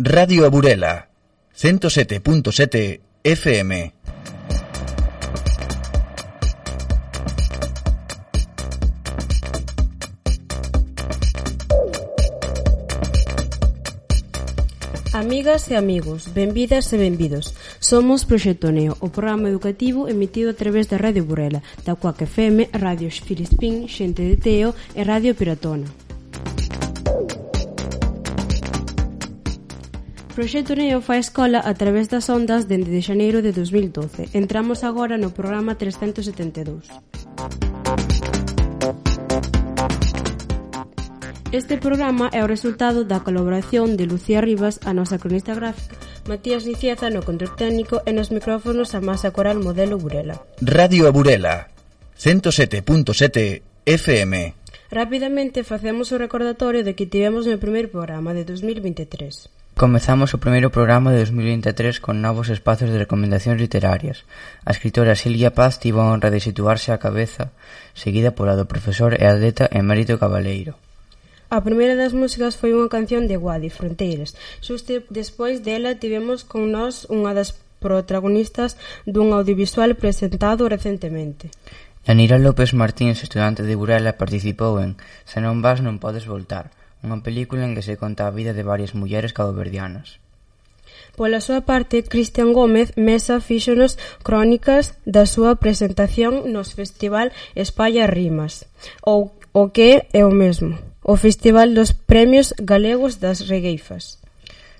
Radio A Burela, 107.7 FM. Amigas e amigos, benvidas e benvidos. Somos Proxecto Neo, o programa educativo emitido a través da Radio Burela, da Cuac FM, Radio Filispín, Xente de Teo e Radio Piratona. Proxecto Neo fai escola a través das ondas dende de xaneiro de 2012. Entramos agora no programa 372. Este programa é o resultado da colaboración de Lucía Rivas, a nosa cronista gráfica, Matías Nicieza no control técnico e nos micrófonos a Masa Coral Modelo Burela. Radio A Burela, 107.7 FM. Rapidamente facemos o recordatorio de que tivemos no primeiro programa de 2023. Comezamos o primeiro programa de 2023 con novos espacios de recomendacións literarias. A escritora Silvia Paz tivo a honra de situarse á cabeza, seguida pola do profesor e atleta Emérito Cabaleiro. A primeira das músicas foi unha canción de Guadi, Fronteiras. Xusto despois dela tivemos con nós unha das protagonistas dun audiovisual presentado recentemente. Yanira López Martínez, estudante de Burela, participou en Se non vas non podes voltar, unha película en que se conta a vida de varias mulleres caboverdianas. Pola súa parte, Cristian Gómez Mesa fíxonos crónicas da súa presentación nos Festival Espalla Rimas, ou o que é o mesmo, o Festival dos Premios Galegos das Regueifas.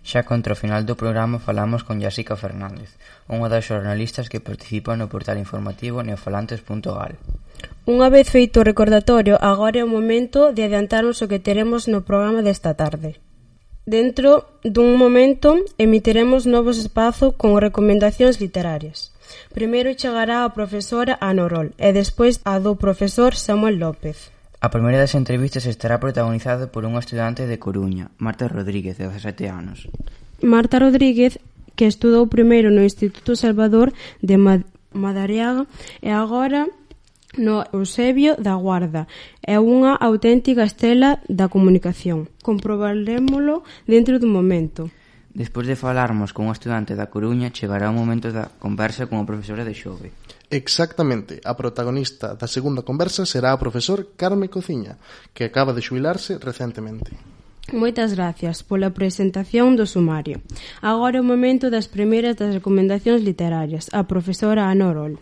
Xa contra o final do programa falamos con Jessica Fernández, unha das xornalistas que participa no portal informativo neofalantes.gal. Unha vez feito o recordatorio, agora é o momento de adiantarnos o que teremos no programa desta tarde. Dentro dun momento emitiremos novos espazos con recomendacións literarias. Primeiro chegará a profesora Ana Orol e despois a do profesor Samuel López. A primeira das entrevistas estará protagonizada por unha estudante de Coruña, Marta Rodríguez, de 17 anos. Marta Rodríguez, que estudou primeiro no Instituto Salvador de Madariaga e agora no Eusebio da Guarda. É unha auténtica estela da comunicación. Comprobarémolo dentro dun momento. Despois de falarmos con unha estudante da Coruña, chegará o momento da conversa con a profesora de Xove. Exactamente, a protagonista da segunda conversa será o profesor Carme Cociña, que acaba de xubilarse recentemente. Moitas gracias pola presentación do sumario. Agora é o momento das primeiras das recomendacións literarias. A profesora Ana Orol.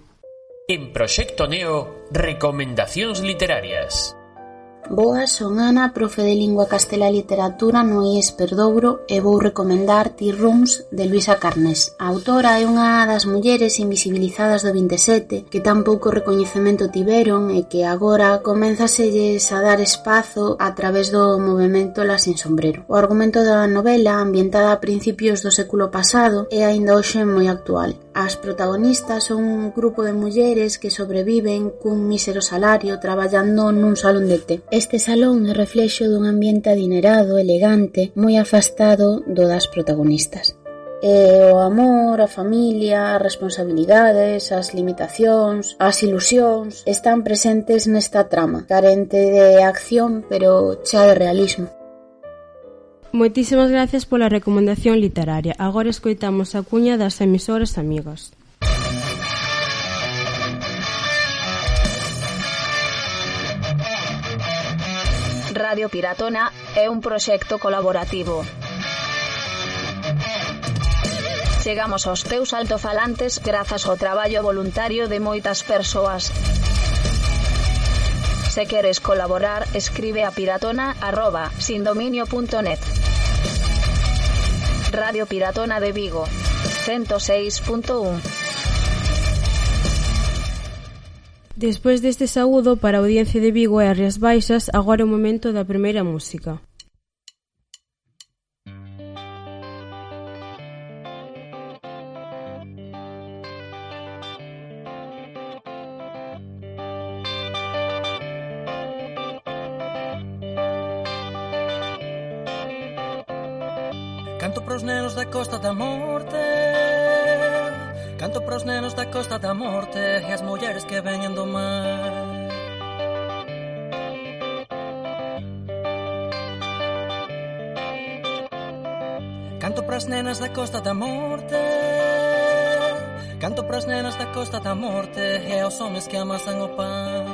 En Proxecto Neo, recomendacións literarias. Boas, son Ana, profe de Lingua Castela e Literatura no IES Perdouro e vou recomendar Tea Rooms de Luisa Carnés. A autora é unha das mulleres invisibilizadas do 27 que tan pouco recoñecemento tiveron e que agora comenzaselles a dar espazo a través do movemento La Sin Sombrero. O argumento da novela, ambientada a principios do século pasado, é aínda hoxe moi actual. As protagonistas son un grupo de mulleres que sobreviven cun mísero salario traballando nun salón de té. Este salón é reflexo dun ambiente adinerado, elegante, moi afastado do das protagonistas. E o amor, a familia, as responsabilidades, as limitacións, as ilusións están presentes nesta trama, carente de acción, pero chea de realismo. Moitísimas gracias pola recomendación literaria. Agora escoitamos a cuña das emisoras amigas. Radio Piratona é un proxecto colaborativo. Chegamos aos teus altofalantes grazas ao traballo voluntario de moitas persoas. Se queres colaborar, escribe a piratona@sindominio.net. Radio Piratona de Vigo, 106.1. Despois deste saúdo para a audiencia de Vigo e as Rías Baixas, agora é o momento da primeira música. Canto pros nenos da Costa da Morte, canto pros nenos da Costa da Morte e as mulleres que veñen do mar. Canto para pras nenas da Costa da Morte, canto pras nenas da Costa da Morte e aos homes que amasan o pan.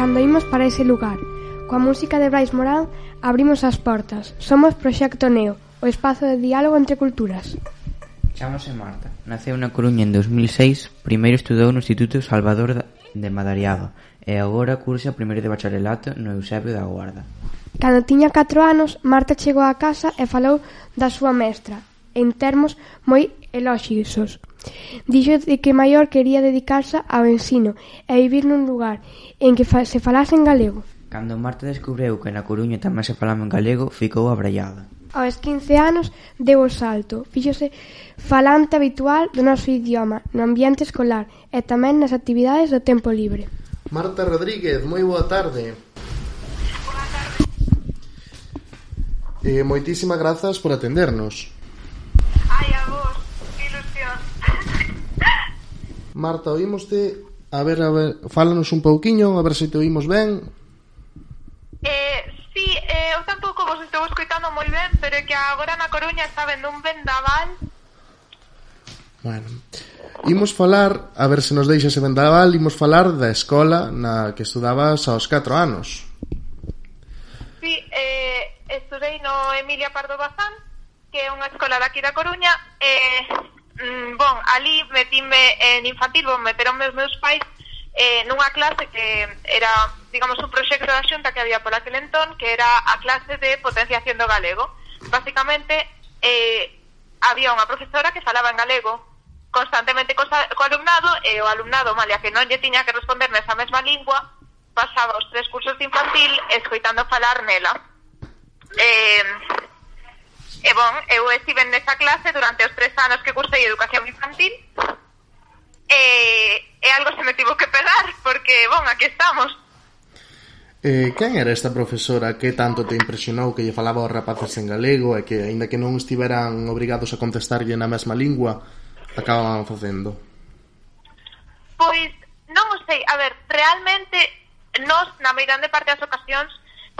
Cando imos para ese lugar, coa música de Brais Morán, abrimos as portas. Somos Proxecto Neo, o espazo de diálogo entre culturas. Chámase Marta. Naceu na Coruña en 2006, primeiro estudou no Instituto Salvador de Madariaga e agora cursa primeiro de bacharelato no Eusebio da Guarda. Cando tiña 4 anos, Marta chegou á casa e falou da súa mestra, en termos moi elóxicos. Dixo de que maior quería dedicarse ao ensino e vivir nun lugar en que se falase en galego. Cando Marta descubreu que na Coruña tamén se falaba en galego, ficou abraiada. Aos 15 anos deu o salto, fíxose falante habitual do noso idioma no ambiente escolar e tamén nas actividades do tempo libre. Marta Rodríguez, moi boa tarde. Boa tarde. Moitísimas grazas por atendernos. Ai, a vos, que ilusión. Marta, oímoste, a ver, fálanos un pouquiño, a ver se te oímos ben. Sí, eu tampouco vos estou escoitando moi ben, pero é que agora na Coruña está vendo un vendaval. Bueno, imos falar, a ver se nos deixa ese vendaval, imos falar da escola na que estudabas aos 4 anos. Sí, estudei no Emilia Pardo Bazán, que é unha escola daqui da Coruña, ali metíme en infantil, meteronme os meus pais nunha clase que era, digamos, un proxecto da Xunta que había por aquel entón, que era a clase de potenciación do galego. Básicamente, había unha profesora que falaba en galego constantemente co alumnado, e o alumnado, malia que non lle tiña que responder nesa mesma lingua, pasaba os 3 cursos de infantil escoitando falar nela. Eu estive nesa clase durante os 3 anos que cursei educación infantil, se me tivo que pegar, porque, bon, aquí estamos. Quen era esta profesora que tanto te impresionou que lle falaba aos rapaces en galego e que, aínda que non estiveran obrigados a contestarlle na mesma lingua, acababan facendo? Pois, non o sei, a ver, realmente nós, na meirande parte das ocasións,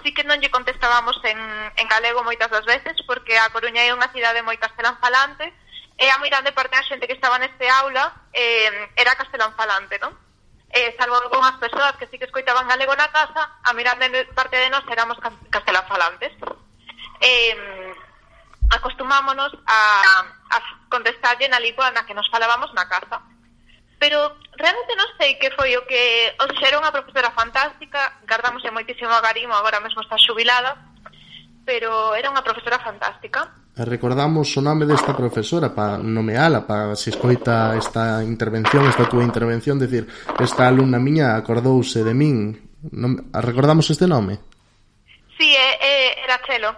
sí que non lle contestábamos en galego moitas das veces, porque a Coruña é unha cidade moi castelán falante, e a meirande parte da xente que estaba neste aula era castelán falante, non? Salvo algunhas persoas que sí que escoitaban galego na casa, a meirande parte de nós éramos castelán falantes. Acostumámonos a contestarlle na lingua na que nos falábamos na casa. Pero realmente non sei que foi o que... O sea, era unha profesora fantástica, gardamoslle moitísimo agarimo, agora mesmo está xubilada, pero era unha profesora fantástica. Recordamos o nome desta profesora para nomeala, para se escoita esta intervención, esta túa intervención, decir, esta alumna miña acordouse de min. Recordamos este nome? Sí, era Chelo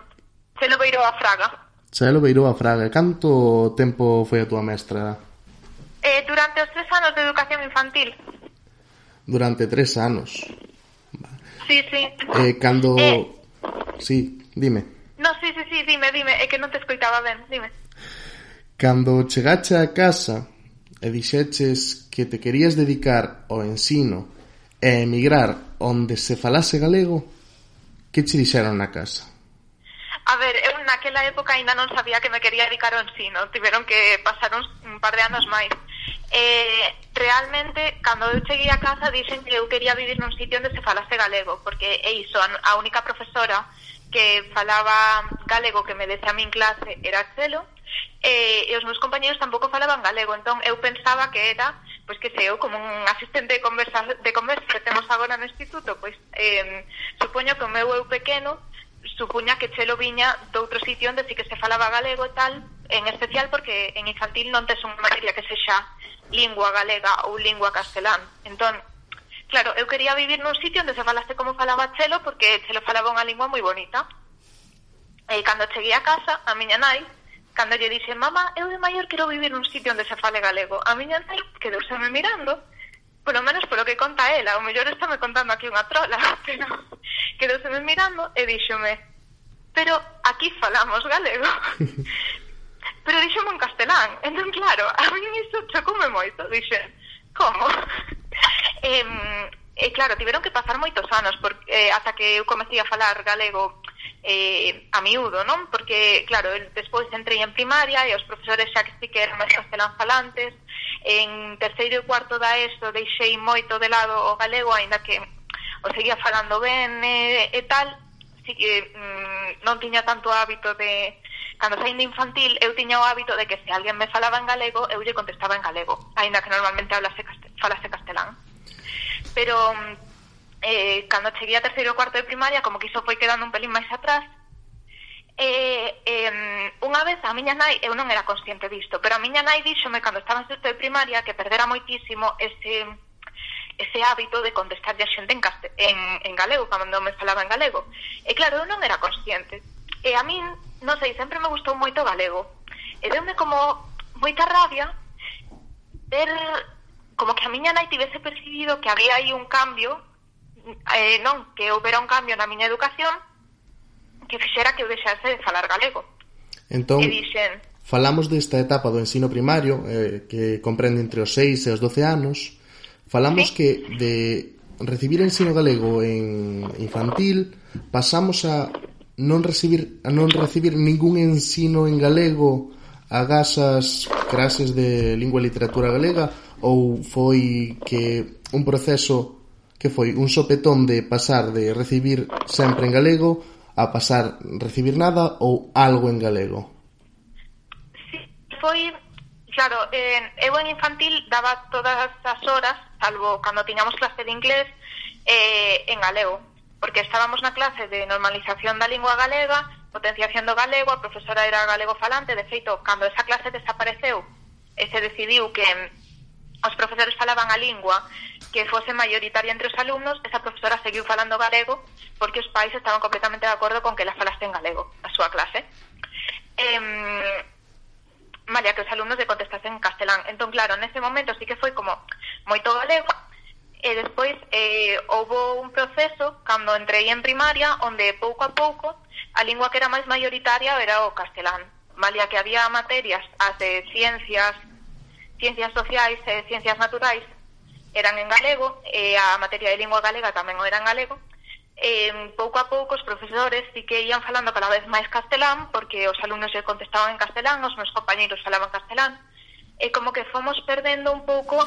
Beiroa Fraga. Chelo Beiroa Fraga. Canto tempo foi a túa mestra? Durante os 3 anos de educación infantil. Durante 3 anos. Sí. Cando... Sí, dime. No, sí, dime, é que non te escoitaba ben, dime. Cando chegache a casa e dixeches que te querías dedicar ao ensino e emigrar onde se falase galego, que che dixeron na casa? A ver, eu naquela época ainda non sabía que me quería dedicar ao ensino, tiveron que pasar un par de anos máis. Realmente, cando eu cheguei a casa, dixen que eu quería vivir nun sitio onde se falase galego, porque é iso, a única profesora que falaba galego que me dese a min clase era Chelo, e os meus compañeros tampouco falaban galego, entón eu pensaba que era, pois que sei eu, como un asistente de conversa que temos agora no instituto, pois supoño que o meu eu pequeno supuña que Chelo viña de outro sitio onde sí que se falaba galego e tal, en especial porque en infantil non tes unha materia que sexa lingua galega ou lingua castelán, entón claro, eu quería vivir nun sitio onde se falase como falaba Chelo, porque Chelo falaba unha lingua moi bonita. E cando cheguei a casa, a miña nai, cando lle dixe, mamá, eu de maior quero vivir nun sitio onde se fale galego, a miña nai quedouseme mirando, polo menos polo que conta ela, o mellor está me contando aquí unha trola, pero quedouseme mirando e díxome, pero aquí falamos galego. Pero díxome en castelán, entón claro, a mí iso chocoume moito, dixen, como? Claro, tiveron que pasar moitos anos ata que eu comecei a falar galego a miúdo, non? Porque, claro, despois entrei en primaria e os profesores xa que sí que eran máis castelán falantes. En terceiro e cuarto da ESO deixei moito de lado o galego, aínda que o seguía falando ben e tal. Sí que non tiña tanto hábito de... Cando saín de infantil, eu tiña o hábito de que se alguén me falaba en galego, eu lle contestaba en galego, aínda que normalmente falase castelán. Pero cando cheguei a terceiro e cuarto de primaria, como que iso foi quedando un pelín máis atrás, unha vez a miña nai, eu non era consciente disto, pero a miña nai díxome cando estaba en sexto de primaria que perdera moitísimo ese hábito de contestarlle a xente en galego, cando me falaba en galego. E claro, eu non era consciente. E a min, non sei, sempre me gustou moito o galego. E deume como moita rabia ver como que a miña nai tivese percibido que había aí un cambio, non, que houbera un cambio na miña educación que fixera que eu deixase de falar galego. Entón, e dixen... falamos desta etapa do ensino primario, que comprende entre os 6 e os 12 anos. Falamos que de recibir ensino galego en infantil pasamos a non recibir ningún ensino en galego agás as clases de lingua e literatura galega, ou foi que un proceso que foi un sopetón de pasar de recibir sempre en galego a pasar recibir nada ou algo en galego? Sí, foi, claro, eu en infantil daba todas as horas, salvo cando tiñamos clase de inglés, en galego, porque estábamos na clase de normalización da lingua galega, potenciación do galego, a profesora era galego falante. De feito, cando esa clase desapareceu e se decidiu que os profesores falaban a lingua que fose mayoritaria entre os alumnos, esa profesora seguiu falando galego porque os pais estaban completamente de acordo con que la falaste en galego a súa clase. Malia que os alumnos de contestasen en castelán. Entón, claro, nese momento sí que foi como moito galego, E despois houve un proceso, cando entrei en primaria, onde pouco a pouco a lingua que era máis maioritaria era o castelán. Malia que había materias, as de ciencias sociais e ciencias naturais eran en galego, e a materia de lingua galega tamén o era en galego. Pouco a pouco os profesores sí que ian falando cada vez máis castelán, porque os alumnos lle contestaban en castelán, os meus compañeiros falaban castelán, e como que fomos perdendo un pouco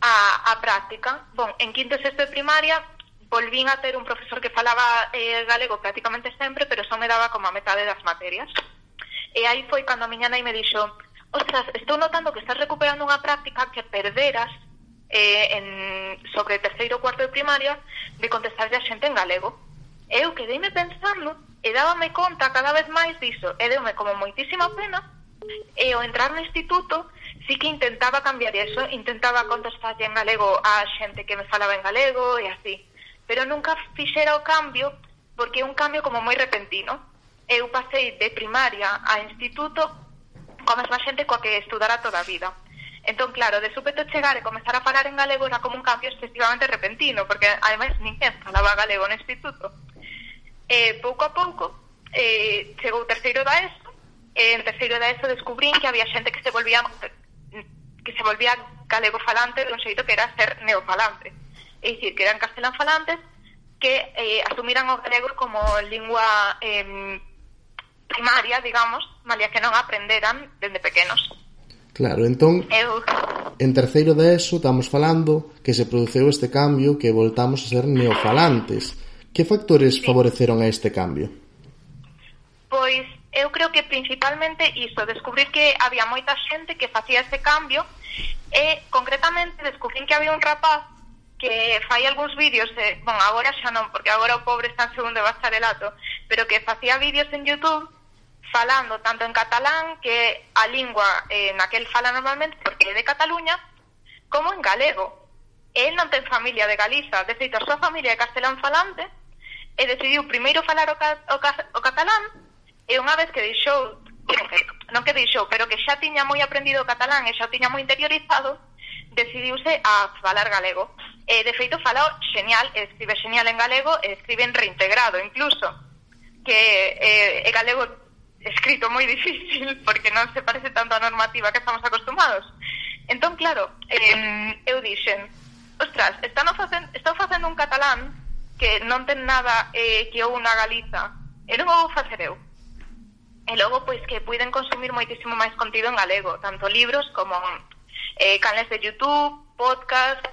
a práctica. Bon, en quinto e sexto de primaria volvín a ter un profesor que falaba galego prácticamente sempre, pero só me daba como a metade das materias. E aí foi cando a miña nai me dixo: ostras, estou notando que estás recuperando unha práctica que perderas sobre terceiro ou cuarto de primaria de contestarlle a xente en galego. Eu quedeime pensando e dábame conta cada vez máis diso, e deume como moitísima pena, e ao entrar no instituto sí que intentaba cambiar eso, intentaba contestarlle en galego a xente que me falaba en galego e así, pero nunca fixera o cambio, porque é un cambio como moi repentino. Eu pasei de primaria a instituto coa mesma xente coa que estudara toda a vida. Entón, claro, de súpeto chegar e comezar a falar en galego era como un cambio excesivamente repentino, porque ademais ninguén falaba galego no instituto. Pouco a pouco chegou o terceiro da ESO, e en terceiro da ESO descubrín que había xente que se volvía galego falante de un xeito que era ser neofalante. É dicir, que eran castelán falantes que asumiran o galego como lingua primaria, digamos, malia que non aprenderan dende pequenos. Claro, entón, en terceiro de ESO estamos falando que se produceu este cambio, que voltamos a ser neofalantes. Que factores favoreceron a este cambio? Pois eu creo que principalmente iso, descubrir que había moita xente que facía este cambio, e concretamente descubrín que había un rapaz que fai algúns vídeos, agora xa non, porque agora o pobre está en segundo de bacharelato, pero que facía vídeos en YouTube falando tanto en catalán, que a lingua naquel fala normalmente porque é de Cataluña, como en galego. El non ten familia de Galiza, de feito a súa familia é castelán falante, e decidiu primeiro falar o catalán, e unha vez que deixou, non que deixou, pero que xa tiña moi aprendido o catalán e xa o tiña moi interiorizado, decidiuse a falar galego. E de feito fala xeñal, escribe xeñal en galego e escribe en reintegrado incluso, que é galego escrito moi difícil porque non se parece tanto a normativa que estamos acostumados. Entón, claro, eu dixen: ostras, estou facendo un catalán que non ten nada que eu unha Galiza, e non o vou facer eu. E logo, pois, que puiden consumir moitísimo máis contido en galego, tanto libros como canales de YouTube, podcast,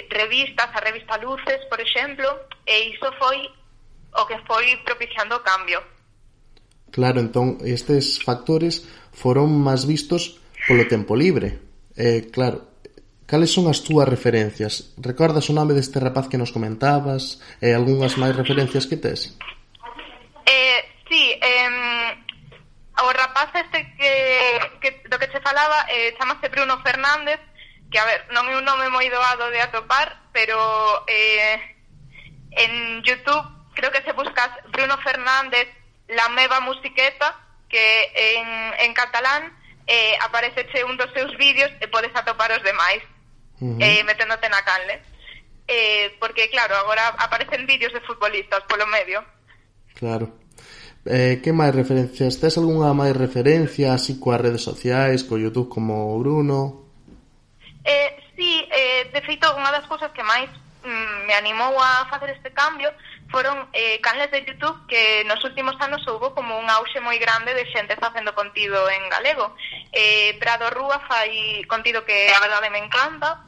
revistas, a revista Luces, por exemplo, e iso foi o que foi propiciando o cambio. Claro, entón, estes factores foron máis vistos polo tempo libre. Claro, cales son as túas referencias? Recordas o nome deste rapaz que nos comentabas? E algunhas máis referencias que tes? Sí, o rapaz este que do que se falaba chamase Bruno Fernández, que, a ver, non é un nome moi doado de atopar, pero en YouTube creo que se buscas Bruno Fernández La Meva Musiqueta, que en catalán apareceche un dos seus vídeos e podes atopar os demais meténdote na canle, porque claro, agora aparecen vídeos de futbolistas polo medio. Claro. Que máis referencias? Tes algunha máis referencia así coas redes sociais, co YouTube como Bruno? Sí, de feito, unha das cousas que máis me animou a facer este cambio foron canles de YouTube que nos últimos anos houve como un auxe moi grande de xente facendo contido en galego. Prado Rúa fai contido que a verdade me encanta.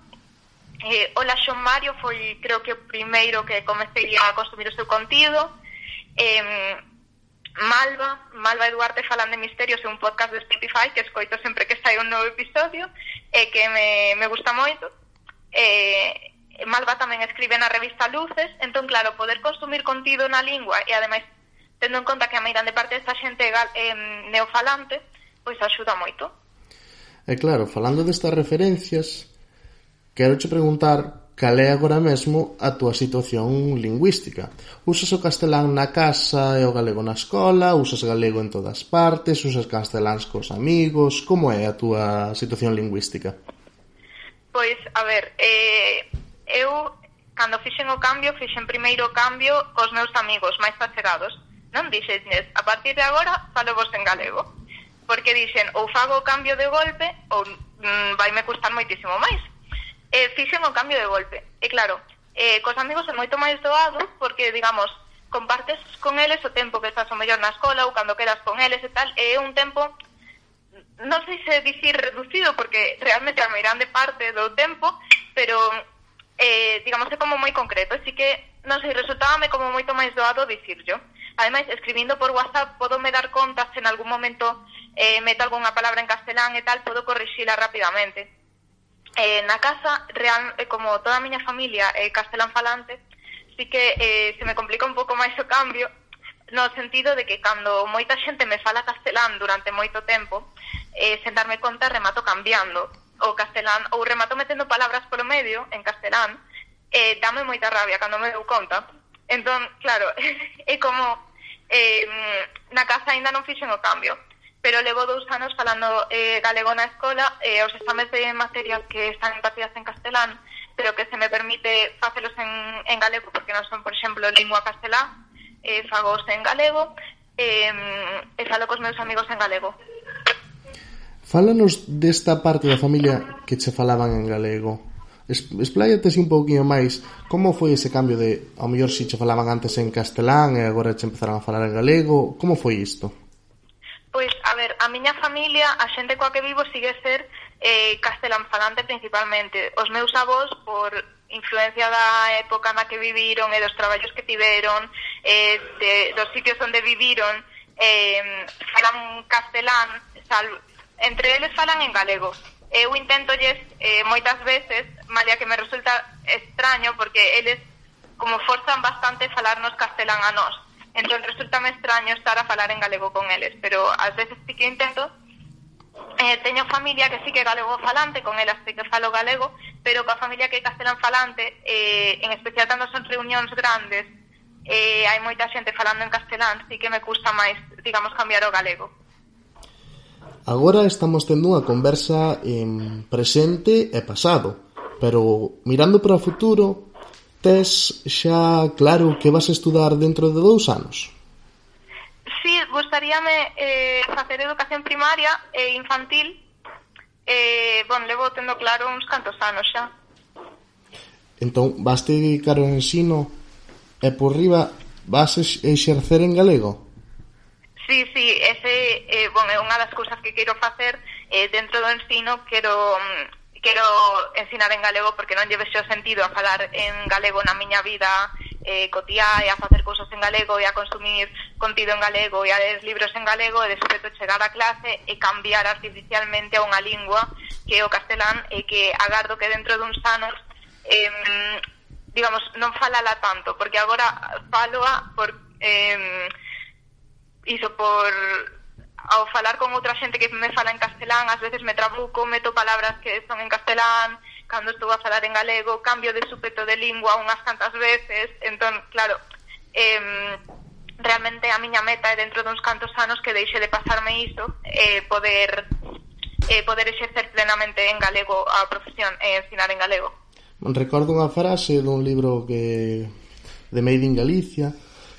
Hola Xon Mario foi, creo que o primeiro que comecei a consumir o seu contido. Malva Eduarte falan de misterios, é un podcast de Spotify que escoito sempre que sai un novo episodio e que me gusta moito. Malva tamén escribe na revista Luces, entón claro, poder consumir contido na lingua e ademais tendo en conta que a meirande parte desta xente neofalante, pois axuda moito. E claro, falando destas referencias, quero che preguntar cal é agora mesmo a túa situación lingüística. Usas o castelán na casa e o galego na escola? Usas galego en todas partes? Usas casteláns cos amigos? Como é a túa situación lingüística? Pois, a ver, eu, cando fixen o cambio, fixen primeiro o cambio cos meus amigos máis achegados. Non dixenles, a partir de agora falo vos en galego, porque dixen, ou fago o cambio de golpe ou vaime custar moitísimo máis. Fixen o cambio de golpe. E claro, cos amigos é moito máis doado porque, digamos, compartes con eles o tempo que estás o mellor na escola ou cando quedas con eles e tal, é un tempo, non sei se dicir reducido, porque realmente a meirande parte do tempo, pero, digamos, é como moi concreto, así que, non sei, resultábame como moito máis doado dicirlo. Ademais, escribindo por WhatsApp, podo me dar conta se en algún momento meto algunha palabra en castelán e tal, podo corrixila rapidamente. Na casa, como toda a miña familia é castelán falante, sí que se me complica un pouco máis o cambio, no sentido de que cando moita xente me fala castelán durante moito tempo, sen darme conta remato cambiando o castelán, ou remato metendo palabras polo medio en castelán, dame moita rabia cando me dou conta. Entón, claro, é como na casa ainda non fixen o cambio, pero levo 2 anos falando galego na escola, os exames de materias que están impartidas en castelán, pero que se me permite facelos en galego, porque non son, por exemplo, lingua castelá, fagos en galego, e falo cos meus amigos en galego. Fálanos desta parte da familia que che falaban en galego. Expláyate así un pouquinho máis. Como foi ese cambio de, ao mellor, si che falaban antes en castelán e agora che empezaron a falar en galego? Como foi isto? Pois, a ver, a miña familia, a xente coa que vivo sigue ser castelán falante principalmente. Os meus avós, por influencia da época na que viviron e dos traballos que tiveron, dos sitios onde viviron, falan castelán, entre eles falan en galego. Eu intentolles moitas veces, malia que me resulta extraño, porque eles como forzan bastante falarnos castelán a nós. Entón resultame extraño estar a falar en galego con eles, pero ás veces sí que intento. Teño familia que sí que é galego falante, con elas sí que falo galego, pero coa familia que é castelán falante, en especial cando son reunións grandes, hai moita xente falando en castelán, sí que me custa máis, digamos, cambiar o galego. Agora estamos tendo unha conversa en presente e pasado, pero mirando para o futuro, tes xa claro que vas a estudar dentro de 2 anos? Sí, gustaríame facer educación primaria e infantil. Levo tendo claro uns cantos anos xa. Entón, vas te dedicar ao ensino e por riba vas exercer en galego? Sí, ese é unha das cousas que quero facer dentro do ensino. Quero ensinar en galego porque non lle vexo sentido a falar en galego na miña vida cotiá e a facer cousas en galego e a consumir contido en galego e a ler libros en galego e despois chegar a clase e cambiar artificialmente a unha lingua que é o castelán e que agardo que dentro duns anos digamos, non falala tanto, porque agora faloa por ao falar con outra xente que me fala en castelán, ás veces me trabuco, meto palabras que son en castelán, cando estou a falar en galego, cambio de súpeto de lingua unhas cantas veces. Entón, claro, realmente a miña meta é dentro duns cantos anos que deixe de pasarme iso, poder exercer plenamente en galego a profesión e ensinar en galego. Recordo unha frase dun libro de Made in Galicia,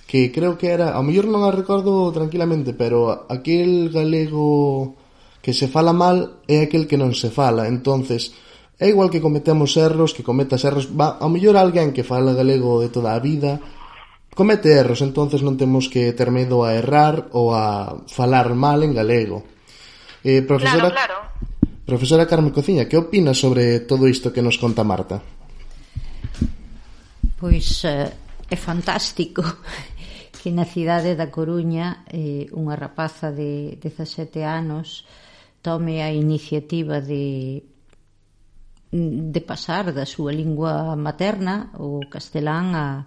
que creo que era, ao mellor non a recordo tranquilamente, pero aquel galego que se fala mal é aquel que non se fala. Entonces, é igual que cometemos erros, que cometas erros, ao mellor alguén que fala galego de toda a vida comete erros, entonces non temos que ter medo a errar ou a falar mal en galego. Claro. Profesora Carme Cociña, que opinas sobre todo isto que nos conta Marta? Pois é fantástico que na cidade da Coruña unha rapaza de 17 anos tome a iniciativa de pasar da súa lingua materna, o castelán,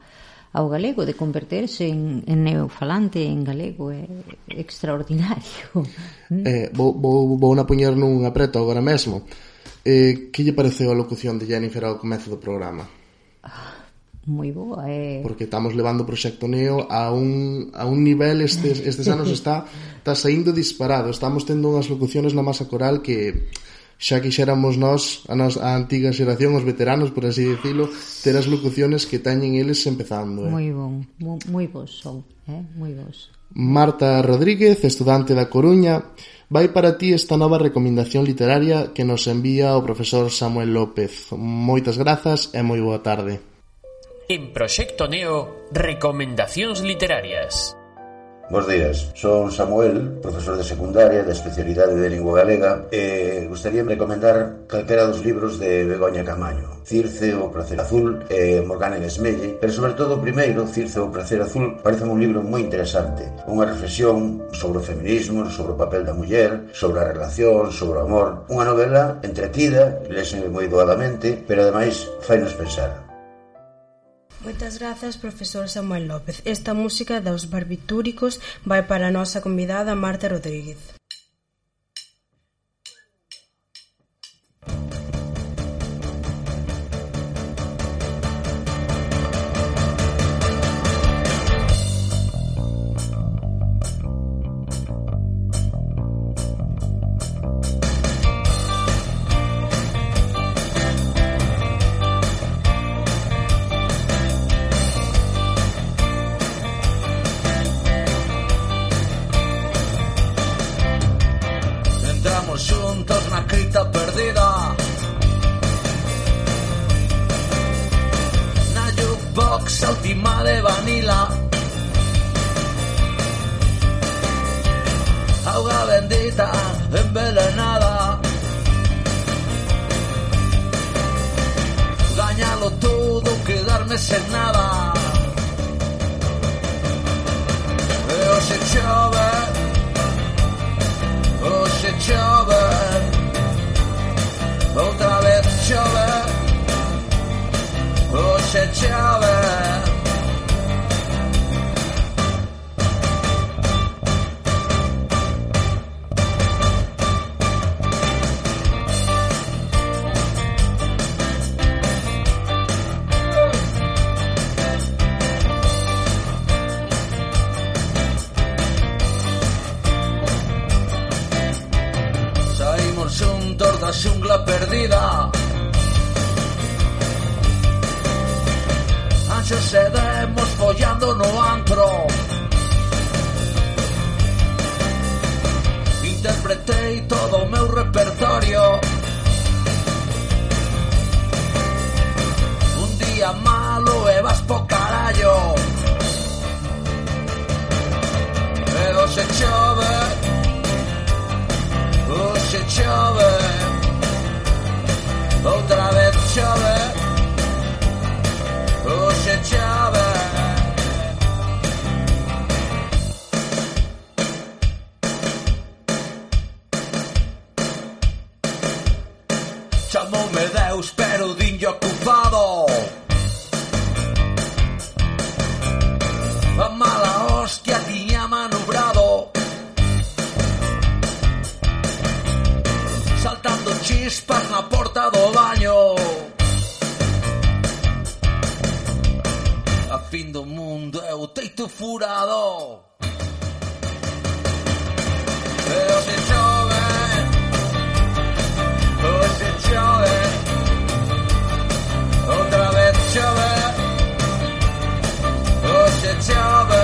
ao galego, de converterse en neofalante en galego. É extraordinario. Vou na poñer nun apreto agora mesmo. Que lle pareceu a locución de Jennifer ao comezo do programa? Moi boa, porque estamos levando o Proxecto Neo a un nivel estes anos está saindo disparado. Estamos tendo unhas locuciones na masa coral que xa quixéramos nós, a antiga xeración, os veteranos, por así dicilo, ter as locuciones que teñen eles empezando. Moi bon, moi bons son, moi bons. Marta Rodríguez, estudante da Coruña, vai para ti esta nova recomendación literaria que nos envía o profesor Samuel López. Moitas grazas e moi boa tarde. En Proxecto Neo, recomendacións literarias. Bos días, son Samuel, profesor de secundaria da especialidade de lingua galega e gustaríame recomendar calquera dos libros de Begoña Camaño, Circe, o Pracer Azul e Morgana en Esmelle, pero sobre todo o primeiro, Circe, o Pracer Azul, parece un libro moi interesante, unha reflexión sobre o feminismo, sobre o papel da muller, sobre a relación, sobre o amor, unha novela entretida, lese moi doadamente, pero ademais fainos pensar. Moitas grazas, profesor Samuel López. Esta música dos barbitúricos vai para a nosa convidada Marta Rodríguez. Xuntos na cripta perdida, na jukebox a última de Vanilla, auga bendita envenenada, gañalo todo, quedarme sen nada. E hoxe chove, hoxe chove, outra vez chove, hoxe chove. Xuntos da xungla perdida, anxos e demos follando no antro. Interpretei todo o meu repertorio. Un día malo e vas po carallo. E hoxe chove, hoxe chove, outra vez chove, hoxe chove. Chamoume Deus, pero dinlle ocupado. A mala hostia tiña manobrado, saltando chispas na porta do baño. A fin do mundo é o teito furado. E hoxe chove, hoxe chove, outra vez chove, hoxe chove.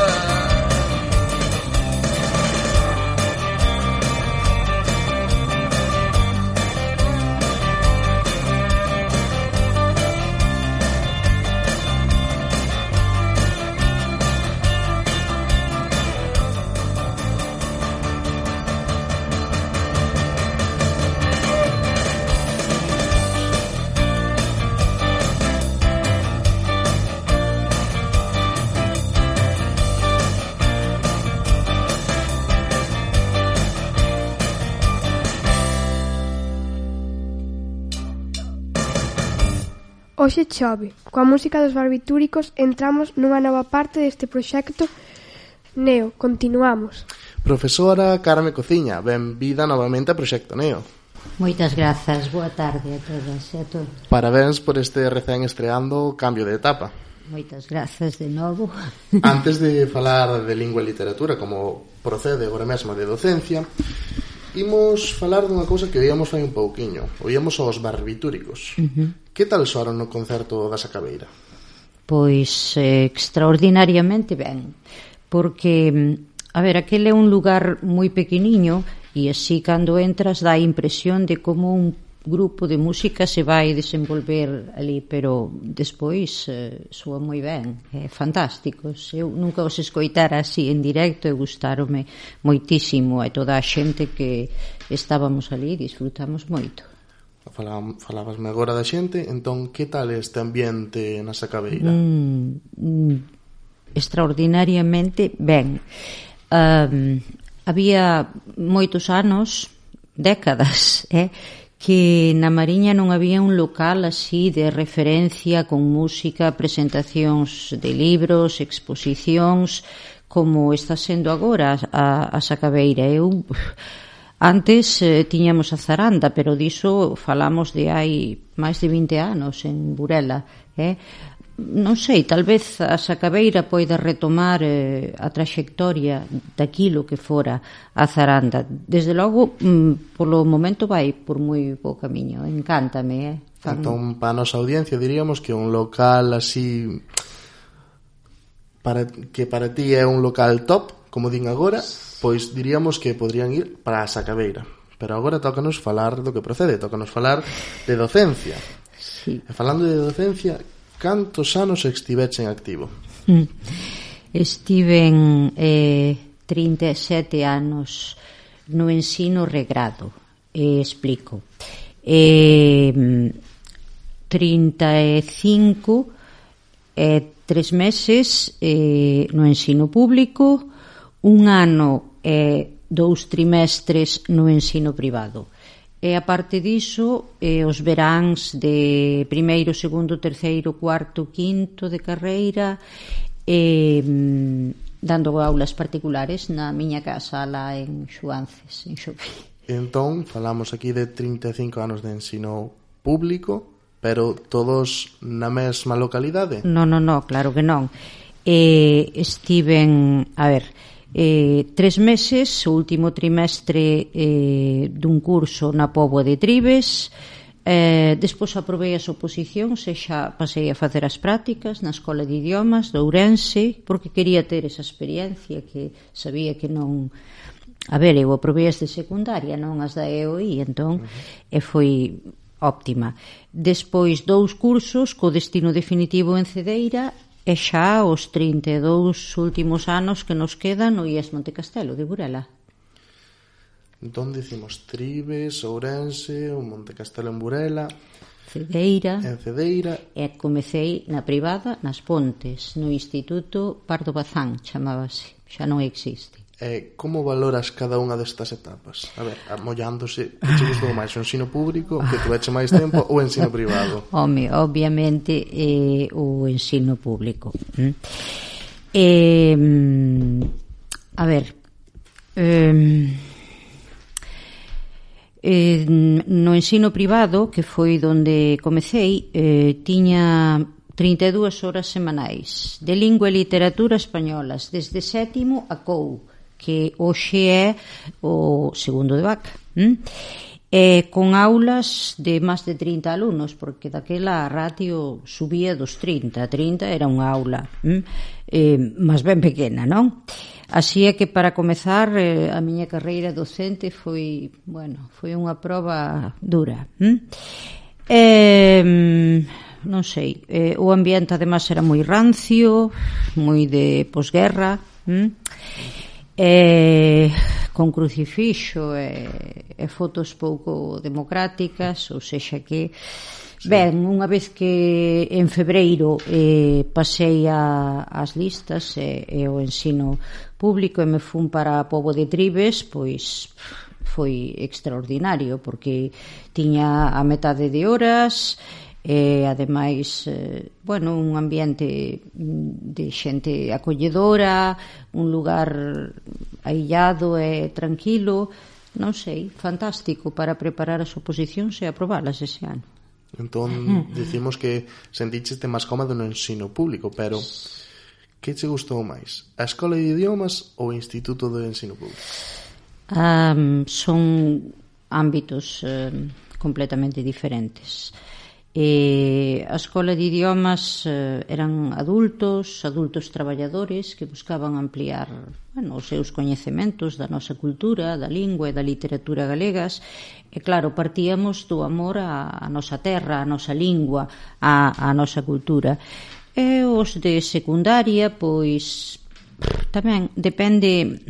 Hoxe chove. Coa música dos barbitúricos entramos nunha nova parte deste proxecto Neo. Continuamos. Profesora Carme Cociña, benvida novamente a Proxecto Neo. Moitas grazas, boa tarde a todas e a todos. Parabéns por este recén estreando cambio de etapa. Moitas grazas de novo. Antes de falar de lingua e literatura, como procede agora mesmo de docencia, Imos falar dunha cousa que oíamos fai un pouquiño. Oíamos aos barbitúricos. Que tal soaron no concerto da Sacabeira? Pois extraordinariamente ben, porque, a ver, aquele é un lugar moi pequeniño e así cando entras dá a impresión de como un grupo de música se vai desenvolver ali, pero despois soa moi ben, é fantásticos. Eu nunca os escoitara así en directo e gustarome moitísimo, e toda a xente que estábamos ali disfrutamos moito. Falabasme agora da xente, entón que tal este ambiente na Sacabeira? Extraordinariamente ben. Había moitos anos, décadas, que na Mariña non había un local así de referencia con música, presentacións de libros, exposicións, como está sendo agora a Sacabeira. Antes tiñamos a Zaranda, pero diso falamos de hai máis de 20 anos en Burela. Non sei, tal vez a Sacabeira poida retomar a traxectoria daquilo que fora a Zaranda. Desde logo, polo momento vai por moi bo camiño. Encántame. Entón, para a nosa audiencia diríamos que un local así que para ti é un local top, como din agora, pois diríamos que podrían ir para a Sacabeira. Pero agora tócanos falar do que procede, tócanos falar de docencia. Sí. E falando de docencia, cantos anos estiveche en activo? Estiven 37 anos no ensino regrado. Explico. 35 3 meses no ensino público, un ano e 2 trimestres no ensino privado. E a parte diso, os veráns de primeiro, segundo, terceiro, cuarto, quinto de carreira, dando aulas particulares na miña casa lá en Xuances, en Xopí. Entón, falamos aquí de 35 anos de ensino público, pero todos na mesma localidade? Non, claro que non. Estiven, a ver, 3 meses, o último trimestre dun curso na Póboa de Tribes, despois aprobei as oposicións e xa pasei a facer as prácticas na Escola de Idiomas de Ourense, porque quería ter esa experiencia que sabía que non... A ver, eu aprobei as de secundaria, non as da EOI, entón foi óptima. Despois 2 cursos co destino definitivo en Cedeira, e xa os 32 últimos anos que nos quedan no IES Montecastelo de Burela. Entón dicimos Tribes, Ourense, o Montecastelo en Burela, Cedeira, e comecei na privada nas Pontes, no Instituto Pardo Bazán, chamábase, xa non existe. Como valoras cada unha destas etapas? A ver, mollándose, que che gustou máis o ensino público, que tuveche máis tempo, ou o ensino privado? Home, obviamente o ensino público. A ver, no ensino privado, que foi onde comecei, tiña 32 horas semanais de lingua e literatura españolas, desde sétimo a COU, que hoxe é o segundo de vaca, con aulas de máis de 30 alumnos, porque daquela a ratio subía dos 30 era unha aula máis ben pequena, non? Así é que para comezar a miña carreira docente foi unha proba dura. Non sei, o ambiente además era moi rancio, moi de posguerra, con crucifixo e fotos pouco democráticas, ou sexa que ben, unha vez que en febreiro pasei as listas e o ensino público e me fun para a Póboa de Tribes, pois foi extraordinario, porque tiña a metade de horas e ademais un ambiente de xente acolledora, un lugar aillado e tranquilo, non sei, fantástico para preparar as oposicións e aprobalas ese ano. Entón, dicimos que senticheste máis cómodo no ensino público, pero que che gustou máis? A Escola de Idiomas ou o Instituto de Ensino Público? Son ámbitos completamente diferentes. A escola de idiomas eran adultos traballadores que buscaban ampliar os seus coñecementos da nosa cultura, da lingua e da literatura galegas, e claro, partíamos do amor á nosa terra, á nosa lingua, á nosa cultura. E os de secundaria, pois tamén depende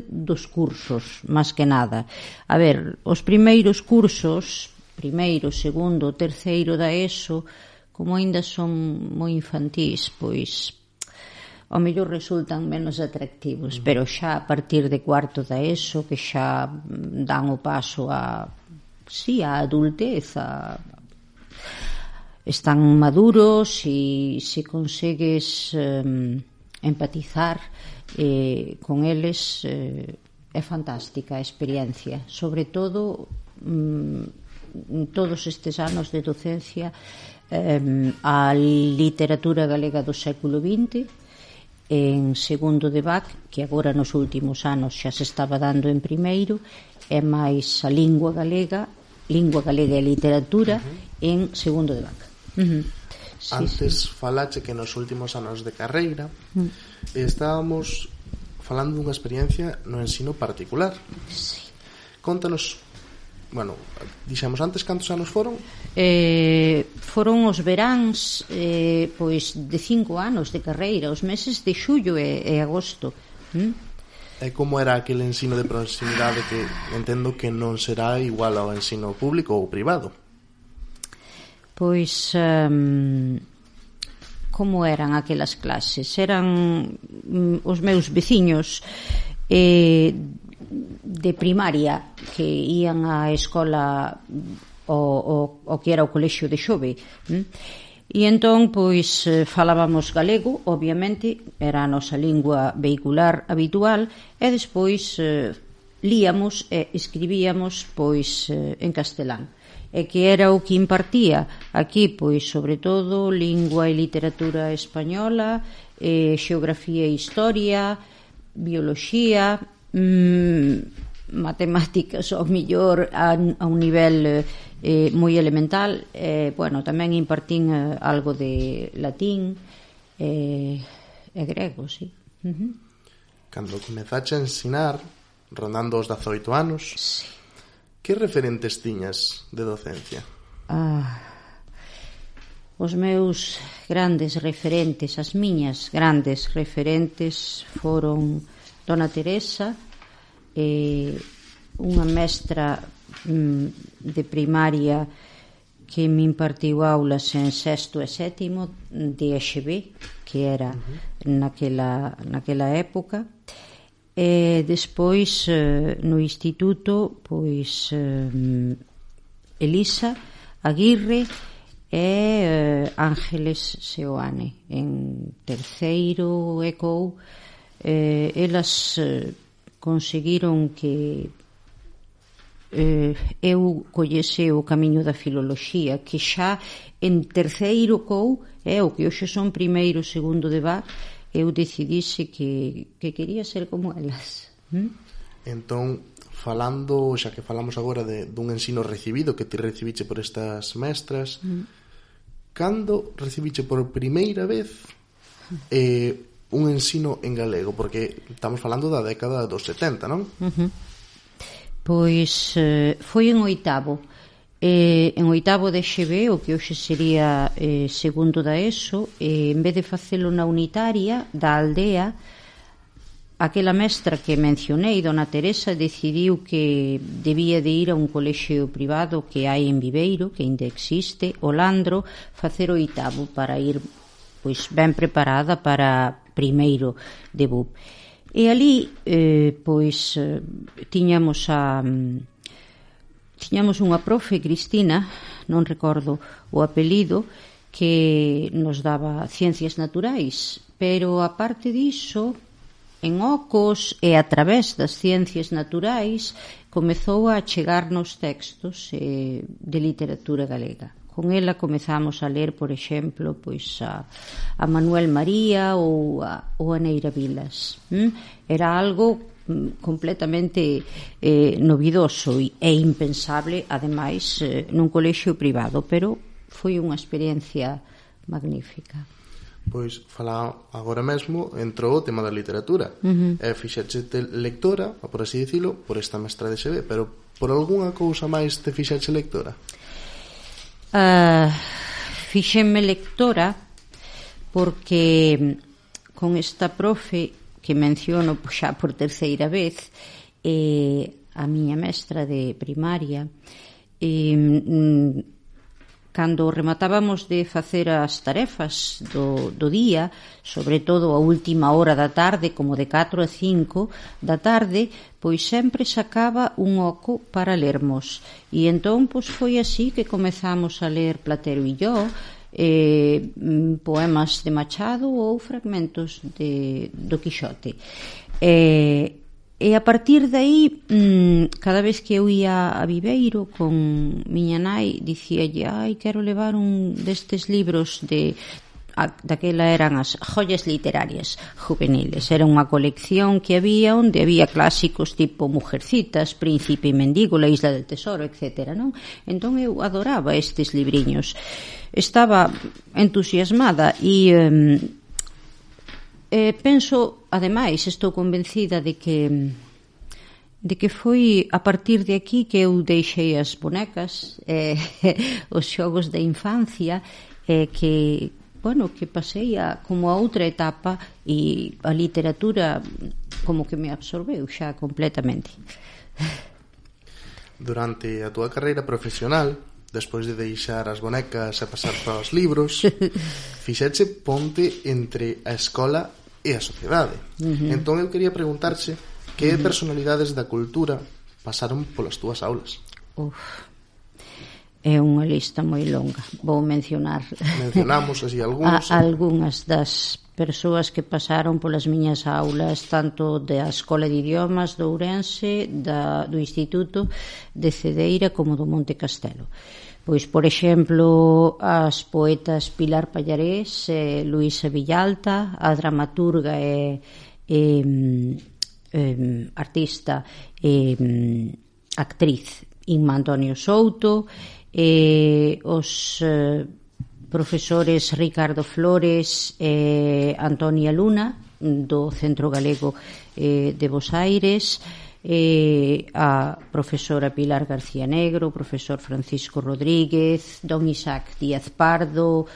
dos cursos, máis que nada. A ver, os primeiros cursos, primeiro, segundo, terceiro da ESO, como aínda son moi infantís, pois ao mellor resultan menos atractivos, pero xa a partir de cuarto da ESO, que xa dan o paso a adultez, están maduros, e se consegues empatizar con eles, é fantástica a experiencia, sobre todo todos estes anos de docencia. A literatura galega do século XX en segundo de BAC, que agora nos últimos anos xa se estaba dando en primeiro, é máis a lingua galega e literatura en segundo de BAC. Antes falache que nos últimos anos de carreira estábamos falando dunha experiencia no ensino particular. Contanos, dixemos antes cantos anos foron? Foron os veráns pois de 5 anos de carreira, os meses de xullo e agosto. E como era aquele ensino de proximidade, que entendo que non será igual ao ensino público ou privado? Pois como eran aquelas clases? Eran os meus veciños de primaria que ían á escola o que era o colexio de Xove, e entón pois falábamos galego, obviamente era a nosa lingua vehicular habitual, e despois líamos e escribíamos pois en castelán, e que era o que impartía aquí, pois sobre todo lingua e literatura española, xeografía e historia, bioloxía, matemáticas ao mellor a un nivel moi elemental, tamén impartín algo de latín e grego, sí. Cando comezache a ensinar, rondando os 18 anos, que referentes tiñas de docencia? Os meus grandes referentes, as miñas grandes referentes foron Dona Teresa, unha mestra de primaria que me impartiu aulas en sexto e sétimo de EXB, que era naquela época, e despois no instituto pois Elisa Aguirre e Ángeles Seoane en terceiro e COU. Elas conseguiron que eu collese o camiño da filoloxía, que xa en terceiro COU, o que hoxe son primeiro, segundo de BAC, eu decidise que quería ser como elas. Entón, falando, xa que falamos agora dun ensino recibido que ti recibiche por estas mestras, cando recibiche por primeira vez un ensino en galego? Porque estamos falando da década dos 70, non? Pois foi en oitavo de EXB, o que hoxe sería segundo da ESO, en vez de facelo na unitaria da aldea, aquela mestra que mencionei, Dona Teresa, decidiu que debía de ir a un colexio privado que hai en Viveiro, que ainda existe, o Landro, facer oitavo para ir pois ben preparada para primeiro de BUP. E ali pois tiñamos unha profe, Cristina, non recordo o apelido, que nos daba ciencias naturais, pero aparte diso, en ocos e a través das ciencias naturais comezou a chegarnos textos de literatura galega. Con ela comezamos a ler, por exemplo, pois a Manuel María ou a Neira Vilas. Era algo completamente novidoso e impensable, ademais, nun colexio privado, pero foi unha experiencia magnífica. Pois, fala agora mesmo, entrou o tema da literatura. Fixaxete lectora, por así dicilo, por esta mestra de XB, pero por algunha cousa máis te fixaxe lectora? Fixenme lectora porque con esta profe que menciono xa por terceira vez, a miña mestra de primaria, cando rematábamos de facer as tarefas do día, sobre todo a última hora da tarde, como de 4 a 5 da tarde, pois sempre sacaba un oco para lermos. E entón pois foi así que comezamos a ler Platero e yo, poemas de Machado ou fragmentos do Quixote. E a partir de aí, cada vez que eu ia a Viveiro con miña nai, dicíalle, quero levar un destes libros daquela eran as joyas literarias juveniles. Era unha colección que había onde había clásicos tipo Mujercitas, Príncipe e Mendigo, La Isla del Tesoro, etc. Non? Entón eu adoraba estes libriños. Estaba entusiasmada e penso, ademais, estou convencida de que foi a partir de aquí que eu deixei as bonecas, os xogos da infancia, que pasei como a outra etapa e a literatura como que me absorbeu xa completamente. Durante a túa carreira profesional, despois de deixar as bonecas e pasar para os libros, fixeche ponte entre a escola e a sociedade. Entón eu quería preguntarche que personalidades da cultura pasaron polas túas aulas. É unha lista moi longa. Vou mencionamos así algunhas das persoas que pasaron polas miñas aulas, tanto da Escola de Idiomas do Ourense, do Instituto de Cedeira como do Monte Castelo. Pois, por exemplo, as poetas Pilar Pallarés, Luisa Villalta, a dramaturga e artista e actriz Inma Antonio Souto, os profesores Ricardo Flores e Antonia Luna do Centro Galego de Bos Aires, a profesora Pilar García Negro, o profesor Francisco Rodríguez, don Isaac Díaz Pardo,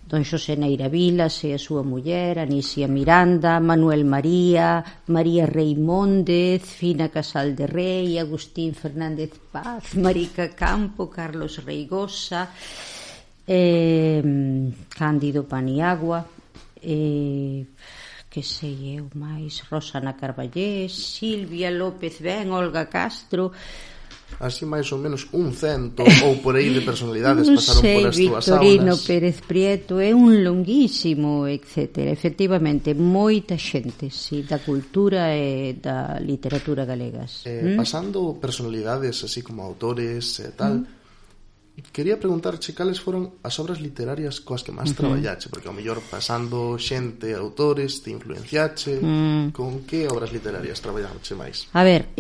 don Xosé Neira Vilas e a súa muller, Anisia Miranda, Manuel María, María Reimóndez, Fina Casal de Rei, Agustín Fernández Paz, Marica Campo, Carlos Reigosa, Cándido Paniagua, que sei eu máis, Rosana Carballés, Silvia López Ben, Olga Castro. Así máis ou menos 100 ou por aí de personalidades pasaron polas túas aulas. Victorino Pérez Prieto, é un longuísimo, etc. Efectivamente, moita xente, sí, da cultura e da literatura galegas. Pasando personalidades así como autores e tal, quería preguntarche cales foron as obras literarias coas que máis traballache, porque ao mellor pasando xente, autores, te influenciache, con que obras literarias traballache máis? A ver,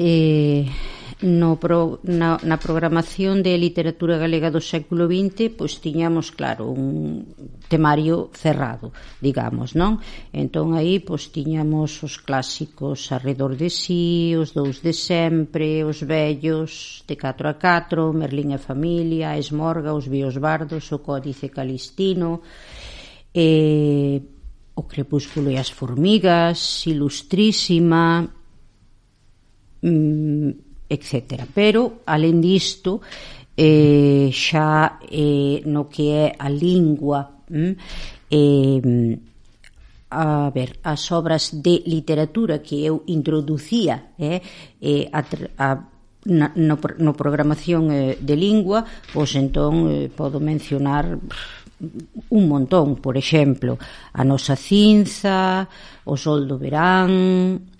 na programación de literatura galega do século XX, pois tiñamos, claro, un temario cerrado, digamos, non? Entón aí, pois tiñamos os clásicos Arredor de Si, Os dous de sempre, Os vellos, de 4 a 4, Merlín e familia, Esmorga, Os víos bardos, O códice calistino, O crepúsculo e as formigas, Ilustrísima, etc. Pero, alén disto, xa no que é a lingua, a ver, as obras de literatura que eu introducía no programación de lingua, pois entón podo mencionar un montón, por exemplo, A nosa cinza, O sol do verán,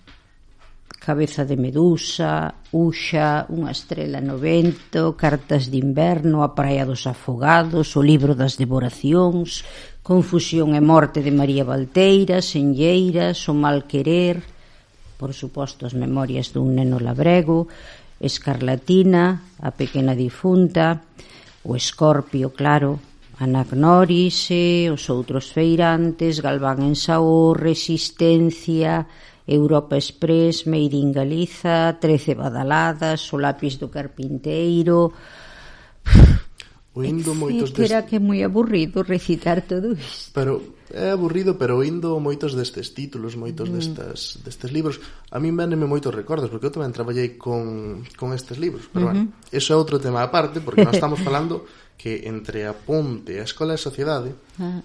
Cabeza de medusa, Uxa, Unha estrela no vento, Cartas de inverno, A praia dos afogados, O libro das devoracións, Confusión e morte de María Valteira, Senlleiras, O mal querer, por suposto, as memorias dun neno labrego, Escarlatina, a pequena difunta, o Escorpio, claro, Anagnórise, os outros feirantes, Galván en Saúl, Resistencia, Europa Express, Made in Galiza, 13 badaladas, o lápis do carpinteiro... Era que é moi aburrido recitar todo isto. Pero é aburrido, pero oindo moitos destes títulos, moitos destes libros, a mí véneme moitos recordos, porque eu tamén traballei con estes libros, pero bueno, eso é outro tema aparte, porque nós estamos falando que entre a Ponte, a Escola e a Sociedade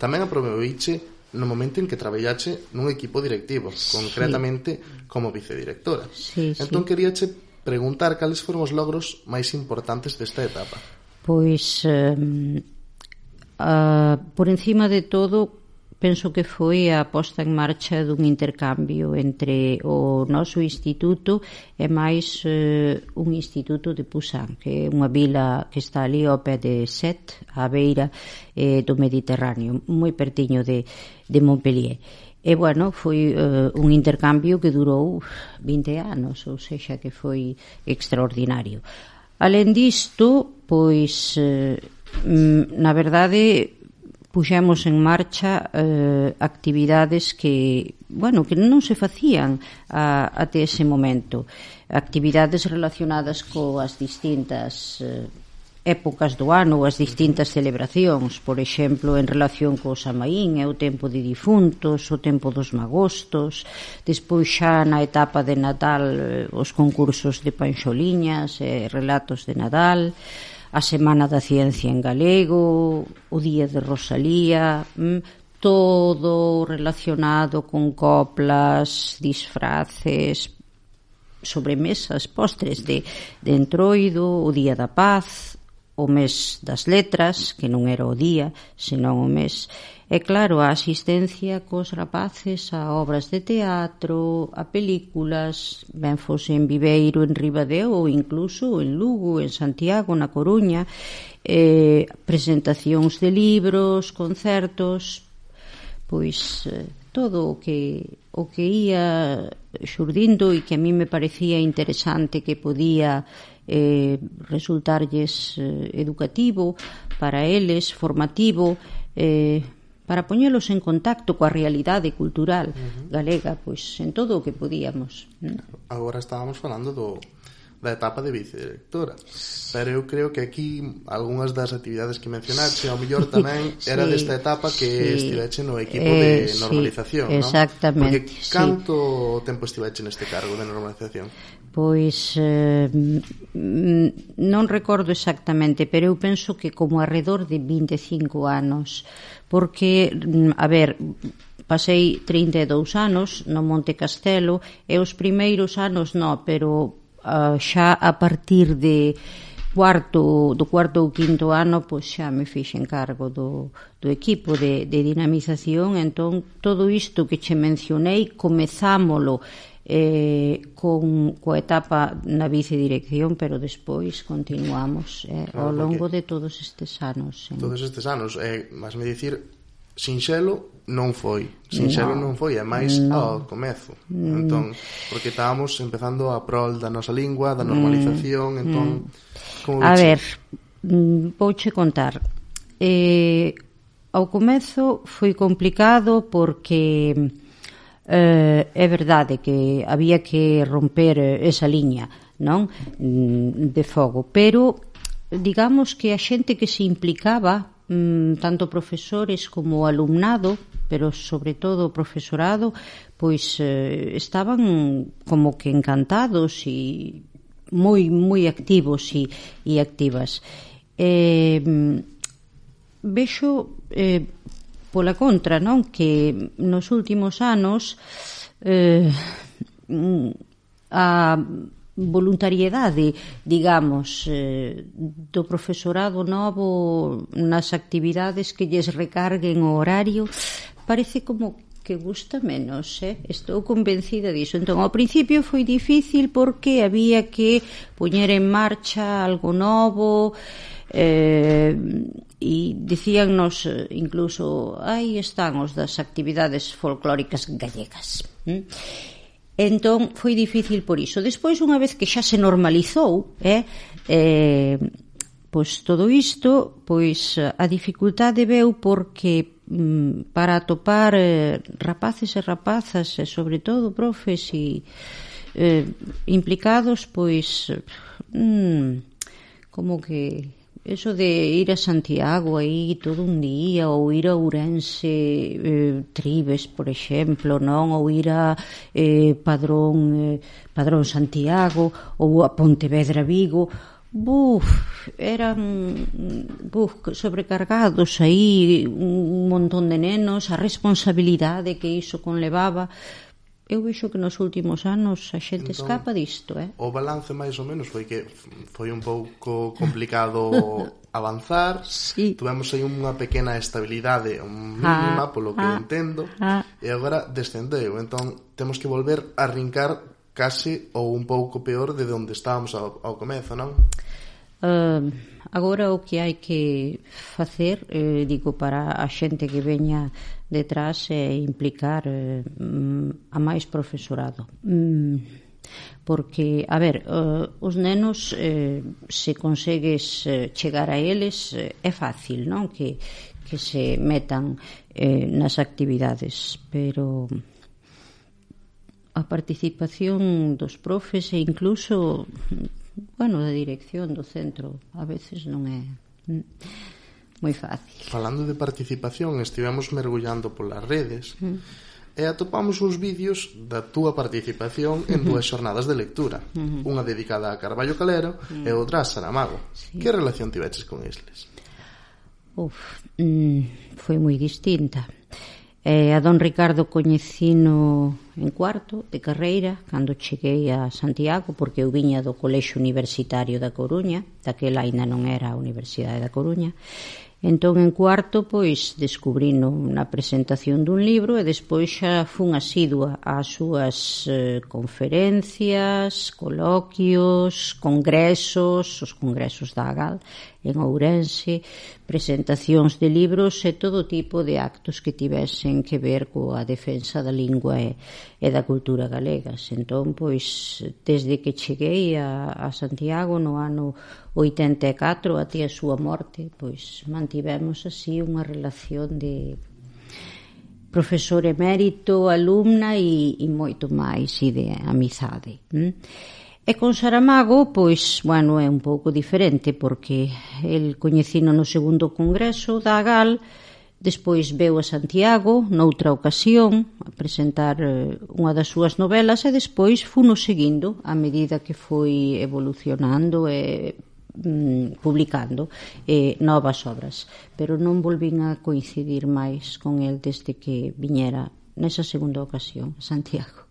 tamén aproveiche no momento en que traballache nun equipo directivo, concretamente como vicedirectora. Entón queríache preguntar cales foron os logros máis importantes desta etapa. Pois, por encima de todo, penso que foi a posta en marcha dun intercambio entre o noso instituto e máis un instituto de Pusan, que é unha vila que está ali ao pé de Sète, á beira do Mediterráneo, moi pertiño de Montpellier. E, bueno, foi un intercambio que durou 20 anos, ou sexa, que foi extraordinario. Alén disto, pois, na verdade, puxemos en marcha actividades que, bueno, que non se facían até ese momento. Actividades relacionadas coas distintas épocas do ano, as distintas celebracións, por exemplo, en relación co Samaín, é o tempo de difuntos, o tempo dos magostos, despois xa na etapa de Natal os concursos de panxoliñas, relatos de Nadal, a Semana da Ciencia en galego, o Día de Rosalía, todo relacionado con coplas, disfraces, sobremesas, postres de entroido, o Día da Paz, o mes das letras, que non era o día, senón o mes. E claro, a asistencia cos rapaces a obras de teatro, a películas, ben fose en Viveiro, en Ribadeo, ou incluso en Lugo, en Santiago, na Coruña, presentacións de libros, concertos, pois todo o que ia xurdindo e que a mí me parecía interesante, que podía resultarlles educativo para eles, formativo, para poñelos en contacto coa realidade cultural galega, pois en todo o que podíamos. Agora estábamos falando da etapa de vicedirectora, pero eu creo que aquí algunhas das actividades que mencionaste ao mellor tamén era desta etapa que estiveche no equipo de normalización, non? Exactamente. Porque canto tempo estiveche neste cargo de normalización? Pois non recordo exactamente, pero eu penso que como arredor de 25 anos, porque, a ver, pasei 32 anos no Monte Castelo e os primeiros anos non, pero xa a partir de cuarto ou quinto ano, pois xa me fixen cargo do equipo de dinamización. Entón, todo isto que che mencionei, comezámolo coa etapa na vicedirección, pero despois continuamos ao longo de todos estes anos. Todos estes anos, vas me dicir, sinxelo non foi, é máis ao comezo. Entón, porque estábamos empezando a prol da nosa lingua, da normalización, entón, como a ver, vouche contar. Ao comezo foi complicado porque é verdade que había que romper esa liña, non, de fogo, pero digamos que a xente que se implicaba, tanto profesores como alumnado, pero sobre todo o profesorado, pois estaban como que encantados e moi activos e activas. Vexo pola contra, non, que nos últimos anos a voluntariedade, digamos, do profesorado novo nas actividades que lles recarguen o horario, parece como que gusta menos, estou convencida diso. Entón, ao principio foi difícil porque había que poñer en marcha algo novo, e dicíannos incluso, aí están os das actividades folclóricas gallegas, Entón foi difícil por iso. Despois, unha vez que xa se normalizou, pois todo isto, pois a dificultade veu porque para atopar rapaces e rapazas, e sobre todo profes e implicados, pois como que eso de ir a Santiago aí todo un día, ou ir a Ourense, Tribes, por exemplo, non? Ou ir a Padrón Santiago, ou a Pontevedra Vigo, eran sobrecargados aí, un montón de nenos, a responsabilidade que iso conlevaba. Eu vexo que nos últimos anos a xente escapa disto, O balance máis ou menos foi que foi un pouco complicado avanzar. Tuvemos aí unha pequena estabilidade mínima, polo que entendo, e agora descendeu. Entón temos que volver a arrincar case ou un pouco peor de onde estábamos ao comezo, non? Agora o que hai que facer, digo, para a xente que veña detrás é implicar a máis profesorado, porque, a ver, os nenos, se consegues chegar a eles, é fácil, non? Que se metan nas actividades, pero a participación dos profes e incluso, bueno, da dirección do centro a veces non é moi fácil. Falando de participación, estivemos mergullando polas redes e atopamos uns vídeos da túa participación en dúas xornadas de lectura, unha dedicada a Carballo Calero e outra a Saramago. Que relación tiveches con estes? Foi moi distinta. A don Ricardo coñecino en cuarto de carreira cando cheguei a Santiago, porque eu viña do Colexio Universitario da Coruña, daquela aínda non era a Universidade da Coruña. Entón, en cuarto, pois, descubrino na presentación dun libro e despois xa fun asidua ás súas conferencias, coloquios, congresos, os congresos da AGAL en Ourense, presentacións de libros e todo tipo de actos que tivesen que ver coa defensa da lingua e da cultura galegas. Entón, pois, desde que cheguei a Santiago no ano 84 até a súa morte, pois mantivemos así unha relación de profesor emérito, alumna e moito máis, e de amizade. E con Saramago, pois, bueno, é un pouco diferente, porque el coñecino no segundo congreso da AGAL, despois veu a Santiago noutra ocasión a presentar unha das súas novelas e despois funo seguindo a medida que foi evolucionando e publicando novas obras, pero non volvín a coincidir máis con el desde que viñera nesa segunda ocasión a Santiago.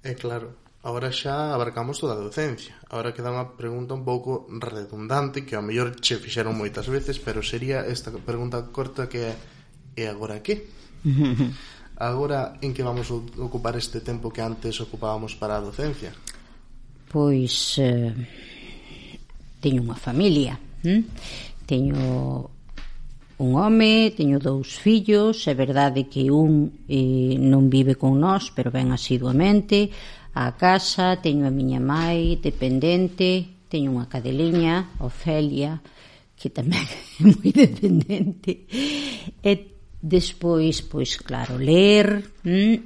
É claro, agora xa abarcamos toda a docencia. Agora queda unha pregunta un pouco redundante que ao mellor che fixeron moitas veces, pero sería esta pregunta corta que é: e agora que? Agora en que vamos a ocupar este tempo que antes ocupábamos para a docencia? Pois teño unha familia, teño un home, teño 2 fillos. É verdade que un non vive con nós, pero ven asiduamente á casa. Teño a miña mai dependente, teño unha cadeliña, Ofelia, que tamén é moi dependente. E despois, pois claro, ler,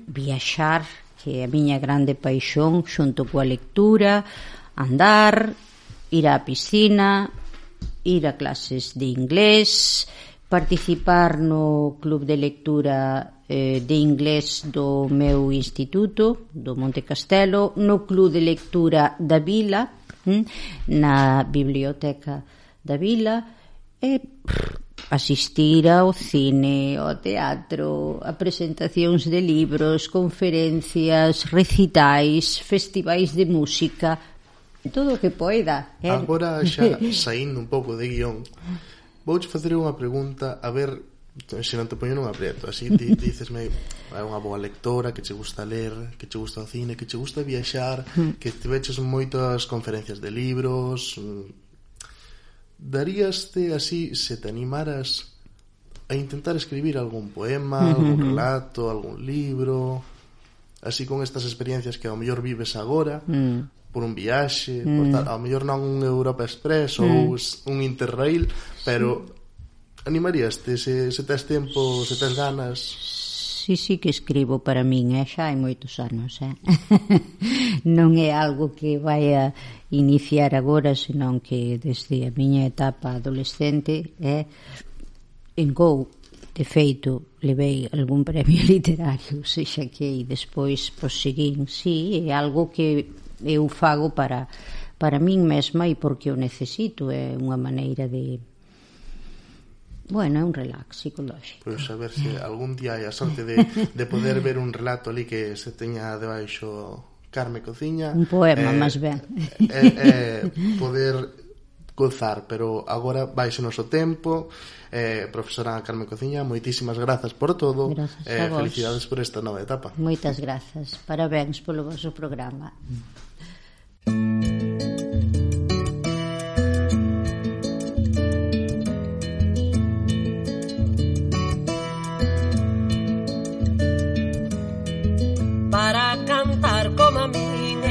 viaxar, que é a miña grande paixón, xunto coa lectura, andar, ir á piscina, ir a clases de inglés, participar no club de lectura de inglés do meu instituto, do Monte Castelo, no club de lectura da Vila, na biblioteca da Vila, e asistir ao cine, ao teatro, a presentacións de libros, conferencias, recitais, festivais de música, todo o que poida. Agora xa saindo un pouco de guión, vouche facer unha pregunta, a ver se non te poño nun aprieto. Así dicesme, é unha boa lectora, que che gusta ler, que che gusta o cine, que che gusta viaxar, que te veches moitas conferencias de libros. Daríaste así, se te animaras a intentar escribir algún poema, algún relato, algún libro? así con estas experiencias que ao mellor vives agora, por un viaxe, por tal, ao mellor non un Europa Express ou un Interrail, pero animaríaste se tes tempo, se tes ganas? Sí que escribo para min, xa hai moitos anos, non é algo que vai a iniciar agora, senón que desde a miña etapa adolescente en Go, de feito, levei algún premio literario, sexa que despois proseguín, é algo que eu fago para min mesma e porque o necesito, é unha maneira de... Bueno, é un relax psicolóxico. Pois a ver se algún día hai a sorte de poder ver un relato ali que se teña debaixo Carme Cociña. Un poema, máis ben. Poder gozar, pero agora vais o noso tempo. Profesora Carme Cociña, moitísimas grazas por todo. Felicidades por esta nova etapa. Moitas grazas. Parabéns polo vosso programa. Para cantar como a min,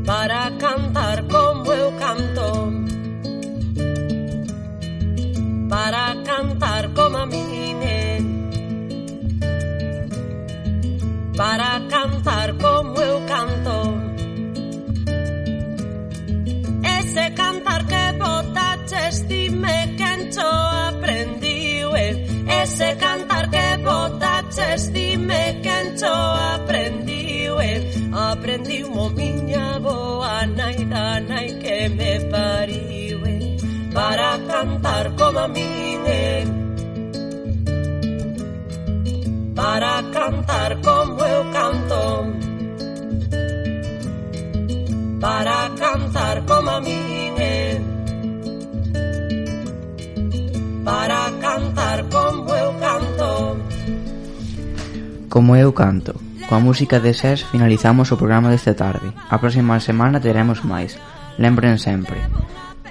para cantar como eu canto, para cantar como a min, para cantar como eu canto. Ese cantar que botaches, dime quen cho aprendiu, ese cantar que botaches, dime quen cho aprendiu, aprendiu mo miña boa nai da nai que me pariu, para cantar como a min, para cantar como eu canto, para cantar como a min, para cantar como eu canto. Como eu canto. Coa música de SES finalizamos o programa desta tarde. A próxima semana teremos máis. Lembren sempre.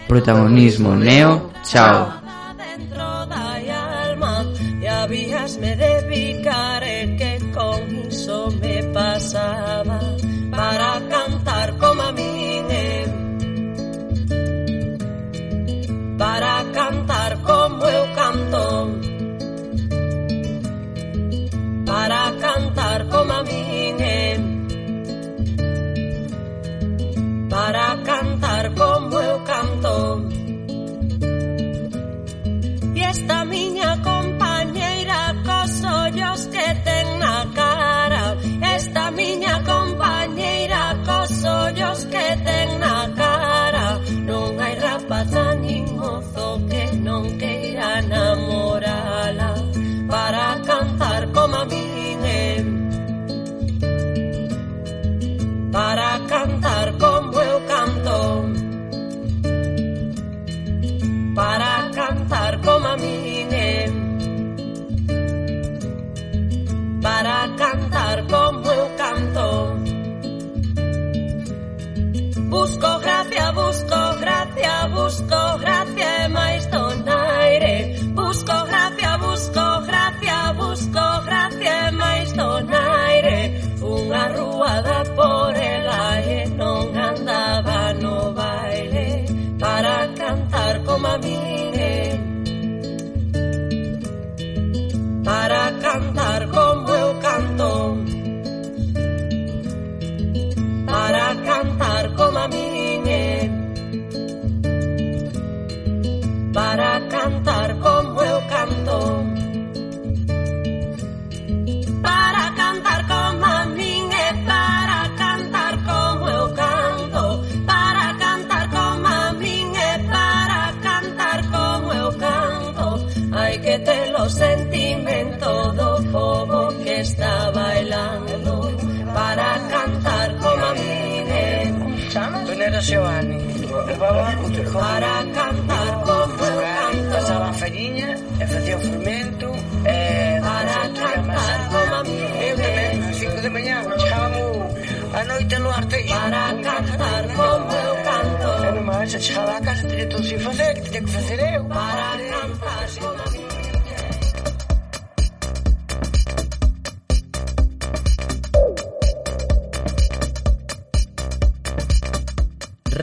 Protagonismo Neo, chao. Dentro da alma e habíasme de picar que con iso me pasaba, para cantar como a min, para cantar como eu canto, para cantar como a min, para cantar como eu canto. E esta miña compañeira cos ollos que ten na cara, esta miña compañeira cos ollos que ten na cara, non hai rapaza nin mozo que non queira namorala, para cantar como a min, para cantar como eu canto, para cantar como a min, para cantar como eu canto. Busco gracia, e máis donaire. Busco gracia, e máis donaire. Unha ruada por ela e non andaba no baile, para cantar como a min, para cantar como eu canto, para cantar como a min, para cantar como eu canto, para cantar como a min e para cantar como eu canto, para cantar como a min e para cantar como eu canto. Hai que ter o sentimento do povo que está bailando, para cantar como a min, Tonera Xeoani, para cantar como eu canto. Pasaban feriña e facía o fermento, para cantar como a min, eu tamén, ás 5 de mañá chegábamos a noite no arteixo, para cantar como eu canto. E nomás se chegaba a casa, teria todo sin facer, que teria que facer eu, para cantar como a min.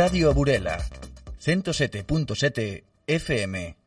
Radio a Burela, 107.7 FM.